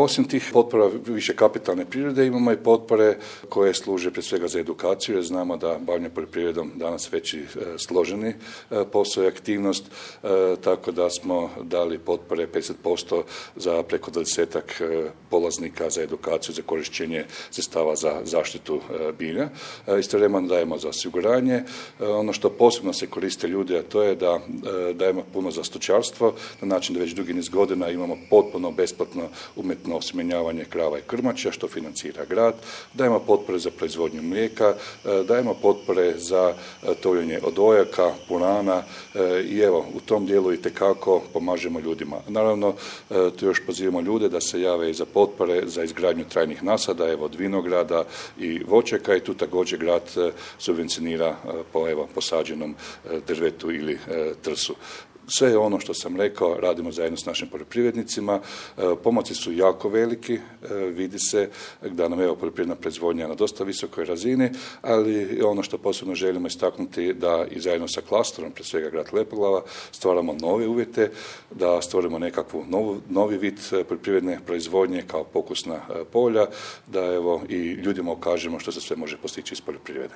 Osim tih potpora više kapitalne prirode imamo i potpore koje služe prije svega za edukaciju, jer znamo da bavljenje poljoprivredom danas već i složeni posao i aktivnost, tako da smo dali potpore 50% za preko 20-ak polaznika za edukaciju, za korištenje sredstava za zaštitu bilja. Istovremeno dajemo za osiguranje. Ono što posebno se koriste ljudi, a to je da dajemo puno za stočarstvo, na način da već dugi niz godina imamo potpuno besplatno umjetno osjemenjavanje krava i krmača, što financira grad. Dajemo potpore za proizvodnju mlijeka, dajemo potpore za tovljenje odojaka, purana i evo, u tom dijelu itekako pomažemo ljudima. Naravno, tu još pozivamo ljude da se jave i za potpore za izgradnju trajnih nasada, evo, od vinograda i voćaka, i tu također grad subvencionira po posađenom drvetu ili trsu. Sve ono što sam rekao radimo zajedno s našim poljoprivrednicima. Pomaci su jako veliki, vidi se da nam je poljoprivredna proizvodnja na dosta visokoj razini, ali ono što posebno želimo istaknuti da i zajedno sa klasterom, prije svega grad Lepoglava, stvaramo nove uvjete, da stvorimo nekakvu novi vid poljoprivredne proizvodnje kao pokusna polja, da evo i ljudima ukažemo što se sve može postići iz poljoprivrede.